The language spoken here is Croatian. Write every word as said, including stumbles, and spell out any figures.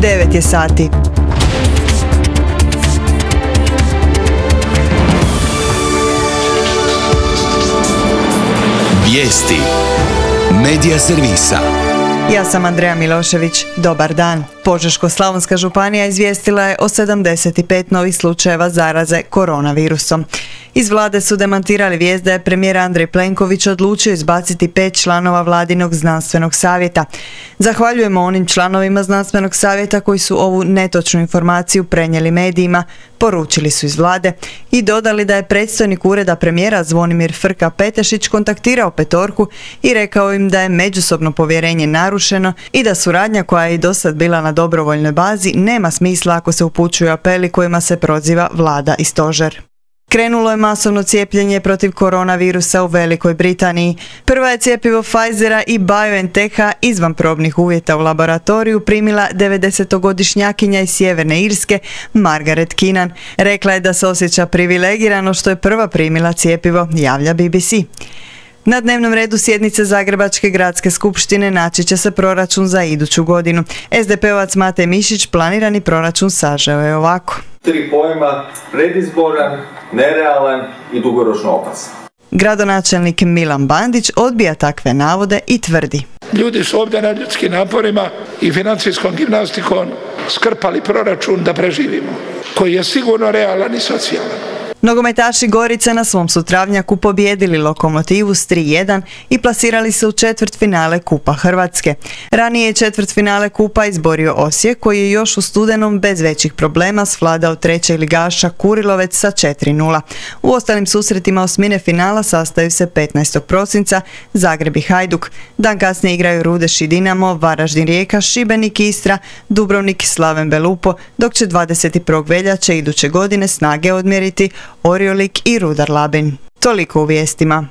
devet je sati. Vijesti Medija servisa. Ja sam Andreja Milošević. Dobar dan. Požeško-slavonska županija izvijestila je o sedamdeset pet novih slučajeva zaraze koronavirusom. Iz vlade su demantirali vijest da je premijer Andrej Plenković odlučio izbaciti pet članova vladinog znanstvenog savjeta. Zahvaljujemo onim članovima znanstvenog savjeta koji su ovu netočnu informaciju prenijeli medijima, poručili su iz vlade i dodali da je predstojnik ureda premijera Zvonimir Frka-Petešić kontaktirao petorku i rekao im da je međusobno povjerenje narušeno i da suradnja koja je i dosad bila na dobrovoljnoj bazi nema smisla ako se upućuju apeli kojima se proziva vlada i stožer. Krenulo je masovno cijepljenje protiv koronavirusa u Velikoj Britaniji. Prva je cjepivo Pfizera i BioNTecha izvan probnih uvjeta u laboratoriju primila devedesetogodišnjakinja iz Sjeverne Irske Margaret Keenan. Rekla je da se osjeća privilegirano što je prva primila cjepivo, javlja B B C. Na dnevnom redu sjednice Zagrebačke gradske skupštine naći će se proračun za iduću godinu. es de pe ovac Matej Mišić planirani proračun sažeo je ovako. Tri pojma: predizboran, nerealan i dugoročno opasan. Gradonačelnik Milan Bandić odbija takve navode i tvrdi: Ljudi su ovdje na ljudskim naporima i financijskom gimnastikom skrpali proračun da preživimo, koji je sigurno realan i socijalan. Nogometaši Gorice na svom su travnjaku pobijedili Lokomotivu s tri jedan i plasirali se u četvrtfinale Kupa Hrvatske. Ranije je četvrtfinale Kupa izborio Osijek koji je još u studenom bez većih problema svladao trećeg ligaša Kurilovec sa četiri nula. U ostalim susretima osmine finala sastaju se petnaestog prosinca Zagreb i Hajduk. Dan kasnije igraju Rudeš i Dinamo, Varaždin Rijeka, Šibenik Istra, Dubrovnik Slaven Belupo, dok će dvadeset prvog veljače iduće godine snage odmjeriti Oriolik i Rudar Labin. Toliko u vijestima.